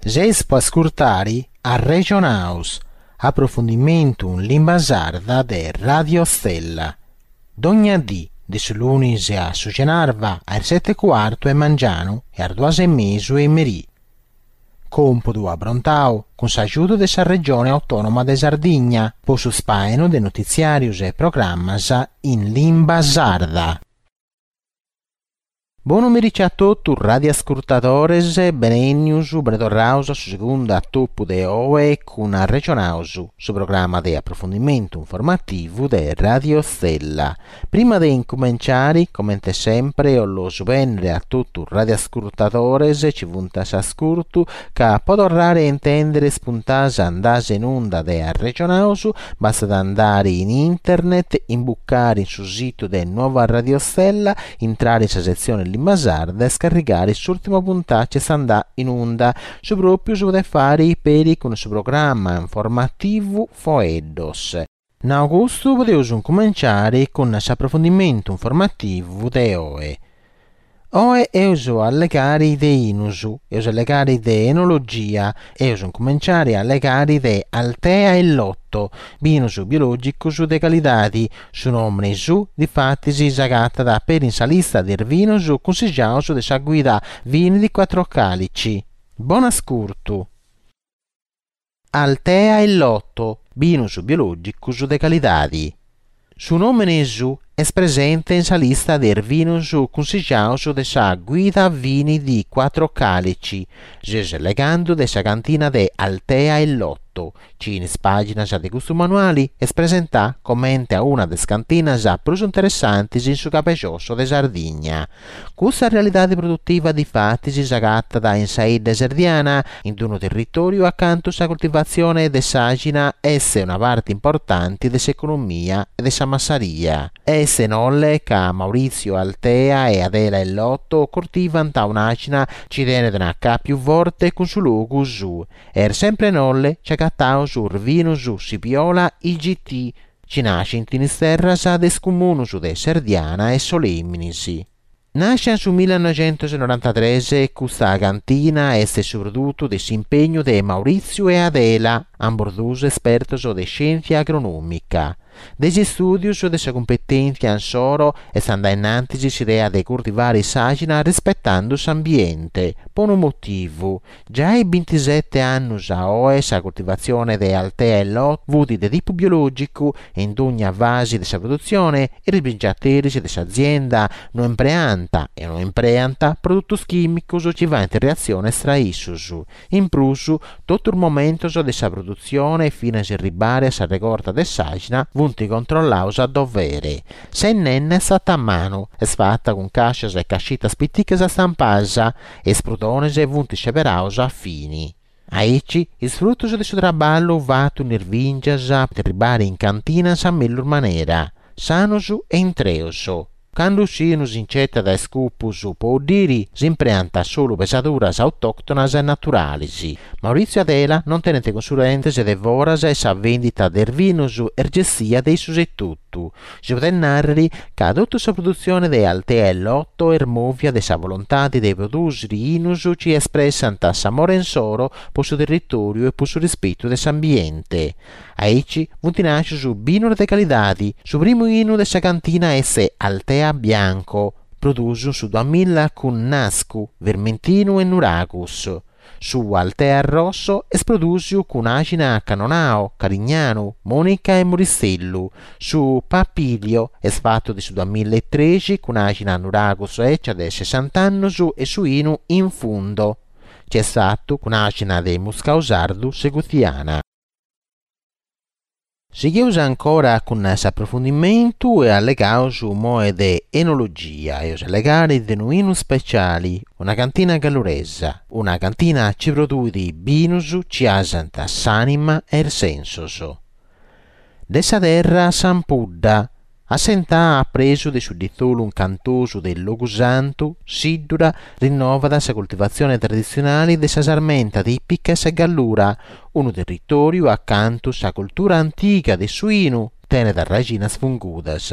Seis po ascurtari Arrexonaus, aprofundimentu in limba sarda de Radio Stella. Dogna dì, de su lunis a su cenarba, a is seti e cuartu 'e mangianu e a is duas e mesu 'e merì. Còmpudu aprontau cun s'agiudu de sa Regione Autònoma de Sardigna po su spàinu de notitziàrius e programmas in limba sarda. Bonu merici a totu radiascurtadores, benènnius, benetorraus a su segundu atopu de oe cun Arrexonaus, su programma de aprofundimentu informativu de Radio Stella. Prima de incumenciari, comente sempre, 'ollu bènnere a totu radiascurtadores chi funt a s'ascurtu ca po torrare a intèndere is puntas andas in unda de Arrexonaus bastat andare in internet, imbucare in su situ de Nuova Radio Stella, intrare in sa setzione Limba Sarda e scarrigare s'ùrtima puntà chi est andà in unda. Su pròpiu si podet fàere peri cun su programma informativu Foeddos. Nau custu podeus incumenciare cun s'aprofundimentu informativu de oe. Oe eus a allegare de 'inus, eus a allegare de enologia, eus a incumenciare a allegare de Altea e Lotto, binus biològicos de calidade, su nòmene suu difatis s'agatat peri in sa lista de is binos cunsigiados de sa guida Vini di Quattro Calici. Bon'ascurtu! Altea e Lotto, binus biològicos de calidade. Su nòmene suu est presente in sa lista de is binos cunsigiados de sa Guida Vini di Quattro Calici. Seus allegando de sa cantina de Altea e Lotto, chi in is pàginas de custu manuali est presentà comente a una de is cantinas prus interessantes in su cabejosso de Sardigna. Custa realidade produtiva difatis s'agatat in sa 'idda Serdiana, in unu territòriu acantu sa coltivatzione de s'àxina est una parte importante de s'economia e de sa massaria. Est in Nolle ca Maurizio Altea e Adela Ellotto coltivant un'àxina chi tenet un'acàpiu forte cun su logu suu. Est sempre in Nolle chi agataus is binus Sipiola IGT, chi nascint in is terras de is comunus de Serdiana e Solèminis. Nàscia in su millenoixentusnorantatres, custa cantina est su produtu de s'impegnu de Mauritziu e Adela, ambos duos espertos de scièntzia agronòmica. De is istùdios e de sa cumpetèntzia insoro est andà innantis s'idea de curtivare s'àxina rispetando s'ambiente, po unu motivu, Giai bintisete annus a oe sa coltivatzione de Altea e Lotto fut de tipu biològicu e in dogna fasi de sa produtzione is bingiateris de s'azienda no impreant e no impreant produtos chìmicos chi faint reatziones tra issos. In prus, totu is momentos de sa produtzione finas a erribare a sa regorta de s'àxina funt controllados a dovere. Sa 'innenna est fata a manu, est fata cun càscias e cascitas piticas stampadas, e is prudones funt sceberados a fini. Aici, is frutos de su traballu fatu in is bìngias podint arribare in cantina in sa mellus manera, sanos e intreos. Candu s'inu si nch'etat a is cupus po 'uddiri, s'impreant solu pesaduras autòctonas e naturalis. Maurizio e Adela non tenent consulentes de foras e sa vendita de is binos est gestia de issos etotu. Si podet nàrrere ca totu sa produtzione de Altea e Lotto est mòvia de sa volontade de prodùsiri 'inos chi espressant s'amore insoro pro su territòriu e pro su rispetu de s'ambiente. Aici funt nàscios binos de calidade, su primu 'inu de sa cantina est Altea Bianco, prodùsiu in su duamilla cun Nascu, Vermentinu e Nuragus. Su Altea Rosso est prodùsiu cun àxina Cannonau, Carignanu, Monica e Muristellu. Su Papilio est fatu de su duamillaetrexi cun àxina Nuragus 'ecia de sessant'annus e su 'inu In Fundo, chi est fatu cun àxina de Muscau Sardu Seguthiana. Sigheus ancora cun s'aprofundimentu e allegaus immoe de enologia, eus allegare de unu 'inu speciali, una cantina galluresa, una cantina chi produit binus chi 'asant s'anima e is sensos. De sa terra s'ampudda, Assentada a presu de su ditzolu incantosu de Logusantu, Siddura rinnovat sa coltivatzione traditzionale de sa sarmenta tìpica 'e sa Gallura, unu territòriu acantu sa cultura antiga de su 'inu. tenet arraxinas fungudas.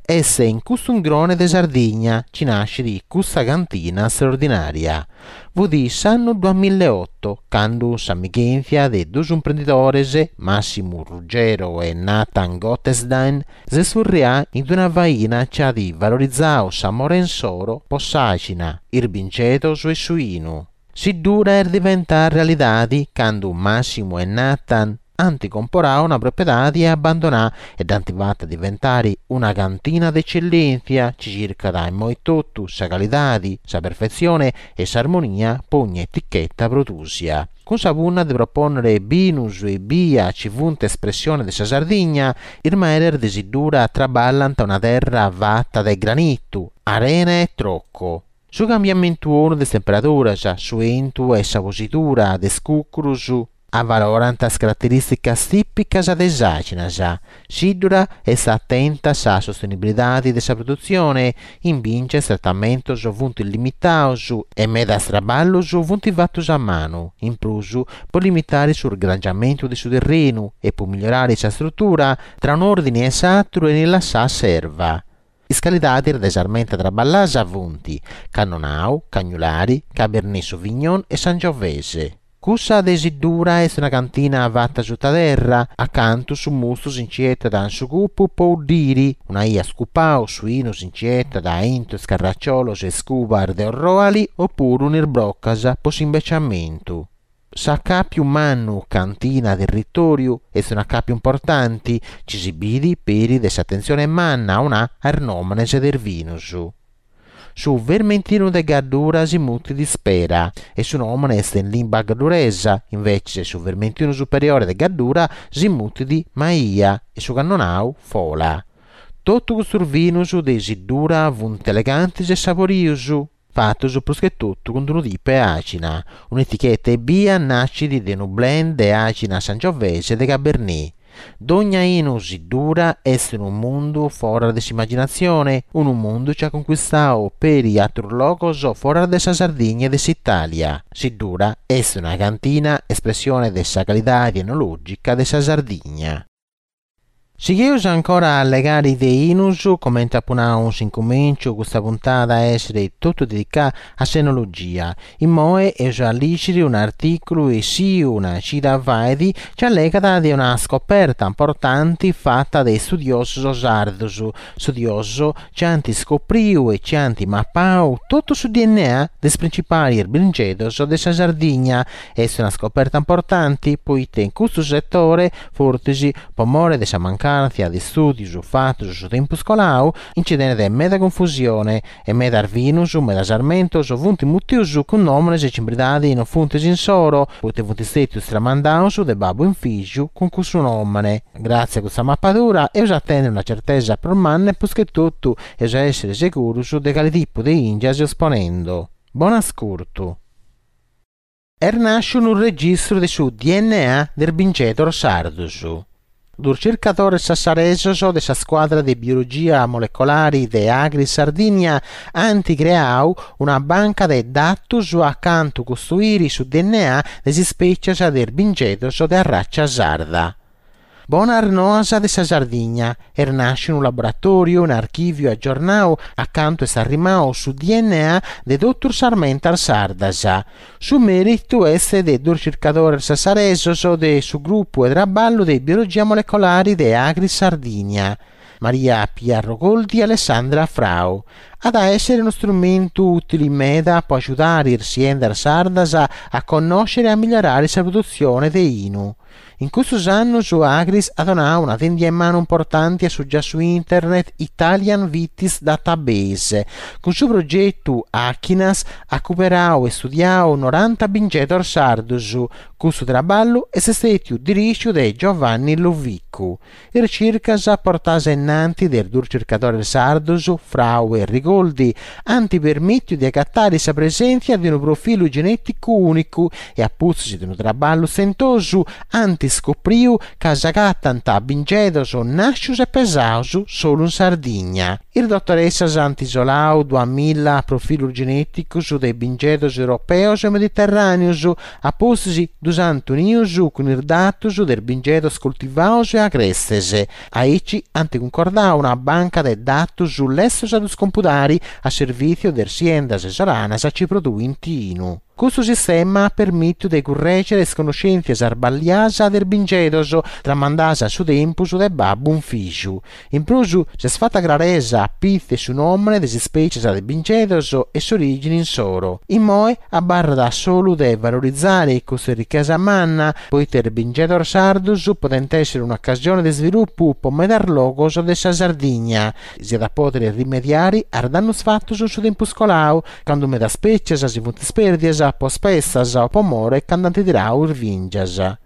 Est in custu ungrone de Sardigna chi nascit custa cantina straordinària. Fut s'annu duamillaeoto candu s'amighèntzia de duos imprendidores, Massimu Ruggiero e Nathan Gottesdiener, s'est furrià in una faina chi at valorizadu s'amore insoro po s'àxina, is bingedos e su 'inu. Siddura est diventada realidade candu Massimu e Nathan ant comporadu una propiedade abbandonà e dd'ant fata diventare una cantina de ecellèntzia chi circat immoi totu sa calidade, sa perfetzione e s'armonia po ogna eticheta prodùsia. Cun sa punna de propònnere binus ebbia chi funt espressione de sa Sardigna, is meres de Siddura traballant una terra fata de granitu, arena e troco. Su cambiamentu 'onu de is temperaduras, su 'entu e sa posidura de is cùcurus avalorant is caraterìsticas tìpicas de is àxinas. Siddura est atenta a sa sostenibilidade de sa produtzione, in bìngia is tratamentos funt limitados e medas traballos funt fatos a manu, in prus po limitare su sgrangiamentu de su terrenu e po migliorare sa strutura, tra un'òrdine e s'àteru 'enit lassada s'erva. Is calidadis de s'armenta traballadas funt, Cannonau, Cagnulari, Cabernet Sauvignon e Sangiovese. Cussa de Siddura est una cantina fata suta terra, acantu su mustu si nci 'etat in su cupu po 'uddiri, una 'ia scupau su 'inu si nci 'etat aintru is carracciolos e is cubas de orroali opuru in is brocas po s'imbeciamentu. S'acàpiu mannu cantina-territòriu est un'acàpiu importanti chi si bidi peri de s'atentzione manna 'onà a is nòmenes de is binus. Su Vermentinu de Gaddura si mutit Ispera e su nòmene est in limba gadduresa, invecis su Vermentinu Superiore de Gaddura si mutit Maia e su Cannonau Fola. Totu custus binus de Siddura funt elegantis e saborius. fatos prus che totu cun unu tipu 'e àxina. Un'eticheta ebbia nascit de unu blend de àxina Sangiovese e de Cabernet. Dogna 'inu Siddura est unu mundu foras de s'imaginatzione, unu mundu chi at concuistadu peri àteros logos foras de sa Sardigna e de s'Itàlia. Siddura est una cantina espressione de sa calidade enològica de sa Sardigna. Sigheus ancora a allegare de 'inus, comente apu nau in s'incumenciu custa puntada at a essere totu dedicà a s'enologia. Immoe eus a lìgiri un'artìculu essiu una cida fait chi allegat de una scoperta importanti fata de istudiosos sardos, studiosos chi ant scopriu e chi ant mapau totu su dna de is principalis bingedos de sa Sardigna. Est una scoperta importanti poite in custu setore, fortzis po more de sa mancàntzia de istùdios fatos su tempus colau, nci tenet meda confusione e medas binus, medas armentos funt mutius cun nòmenes chi in beridadi non funt s'insoro, poite funt stètius tramandaus de babbu in fìgiu cun cussu nòmene. Gràtzias a custa mapadura eus a tènnere una certesa prus manna e prus che totu eus a èssere segurus de cali tipu de 'ìngia seus ponendu. Bon'ascurtu! Est nàsciu unu registru de su dna de is bingedos sardos. Duos circadores sassaresos de sa scuadra de biologia molecolari de Agris Sardigna ant creau una banca de datos acantu costoiri su dna de is ispècias de is bingedos de arratza sarda. Bonas noas de sa Sardigna, est nàsciu unu laboratòriu, un'archìviu agiornau acantu est arrimau su dna de totus sas armentas sardas. Su mèritu est de duos circadores sassaresos de su grupu 'e traballu de biologia molecolari de Agris Sardigna, Maria Pia Rogoldi e Alessandra Frau. At a èssere unu strumentu ùtili meda po agiudare is siendas sardas a connòschere e a migliorare sa produtzione de 'inu. In custus annus Agris at donau una tèndia 'e manu importanti a su giassu internet Italian Vitis Database. Cun su progetu Achinas at cuberau e studiau noranta bingedos sardus. Custu traballu est stètiu dirìgiu de Giovanni Lovicu. Is circas portadas ainnanti de is duus circadores sardos, Frau e Rigoldi, ant permìtiu de agatare sa presèntzia de unu profilu genèticu ùnicu e a pustis de unu traballu stentosu ant. ant scopriu ca s'agatant bingedos nàscius e pesaus solu in Sardigna. Is dotoressas ant isolau duamilla profilus genèticus de bingedos europeus e mediterràneus, a pustis ddus ant unius cun is datus de is bingedos coltivaus e agrestes. Aici ant cuncordau una banca de datus lestus a ddus compudari a servìtziu de is siendas isolanas chi produint 'inu. Custu sistema at permìtiu de currègere is connoschèntzias sballias de is bingedos tramandadas in su tempus de babbu in fìgiu. In prus s'est fata craresa a pitzu de su nòmene de is ispètzias de bingedos e s'orìgine insoro. Immoe abarrat solu de valorizare custa richesa manna, poite is bingedos sardos podent èssere un'ocasione de isvilupu po medas logos de sa Sardigna. Si at a pòdere rimediare a is dannos fatos in su tempus coladu, cando medas spètzias si funt ispèrdias po spestas o po more ca nd'ant tiradu is bìngias.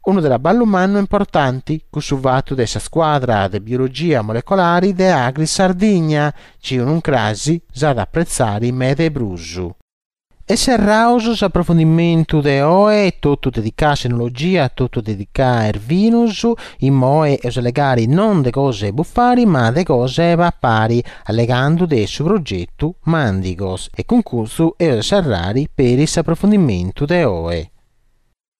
Unu traballu mannu e importanti, cussu fatu de sa scuadra de biologia molecolari de Agris Sardigna, chi unu crasi s'at a apretzari meda 'e prus. E serraus s'aprofundimentu de oe, totu dedicau a s'enologia, totu dedicau a is binus, immoe eus allegari non de cosa 'e bufari ma de cosa 'e papari, allegando de su progetu Mandigos e cun custu eus a serrari peri s'aprofundimentu de oe.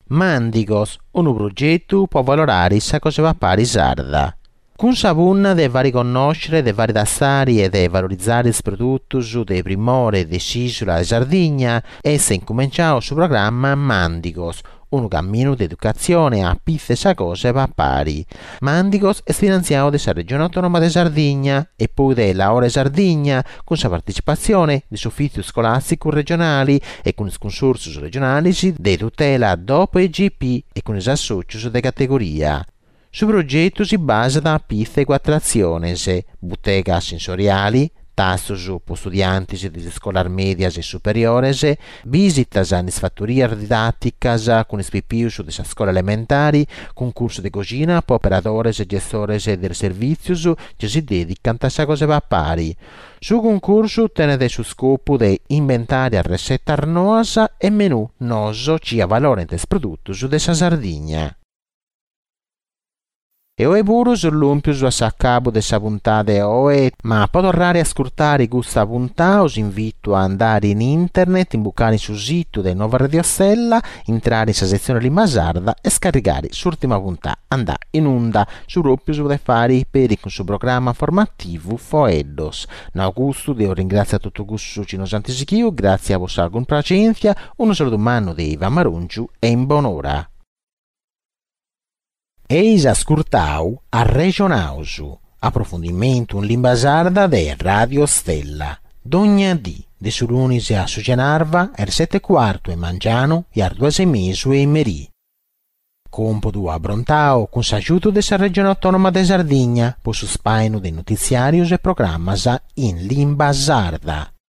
Mandigos, unu progetu po avalorare sa cosa 'e papare sarda. Cun sa punna de fare connòschere, de fare tastare e de valorizare is produtos de primore de s'ìsula de Sardigna, est incumenciadu su programma Mandigos, unu caminu de educatzione a pitzu 'e sa cosa 'e papare. Mandigos est finantziadu de sa Regione Autonoma de Sardigna e poi de Laore Sardigna cun sa partecipatzione de s'Ufìtziu Iscolàsticu Regionali e cun is Cunsòrtzios Regionales de tutela DOP e IGP e cun is assòtzios de categoria. Su progetu si basat a pitzu 'e cuatru atziones, butega sensoriali, tastos po istudiantes de is iscolas mèdias e superiores, bìsitas in is fatorias didàticas cun is pipius de sa scola elementari, cuncursu de coxina po operadores e gestores de is servìtzios chi si dèdicant a sa cosa 'e papare. Su cuncursu tenet su scopu de imbentare arresetas noas e menù noos chi avalorent is produtos de sa Sardigna. E oe puru seus lòmpios a s'acabu de sa puntada 'e oe, ma po torrare a ascurtare custa puntada os invito a andare in internet, imbucare in su situ de Nova Radio Stella, intrare in sa setzione Limba Sarda e scarrigare s'ùrtima puntada andà in unda, su pròpiu si podet fare peri cun su programma formativu Foeddos. Nau custu, deo ringràtzio a totu cussos chi nos ant sighiu, gràtzias po sa cumpraxèntzia, unu saludu mannu de Ivan Marongiu e in bonora. Eis ascurtau Arrexonaus, aprofundimentu in limba sarda de Radio Stella, dogna dì, de su lunis a su cenarba, a is seti e cuartu 'e mangianu e a is duas e mesu 'e merì. Còmpodu abrontau cun s'agiudu de sa Regione Autònoma de Sardigna po su spàinu de notitziàrios e programmas in limba sarda.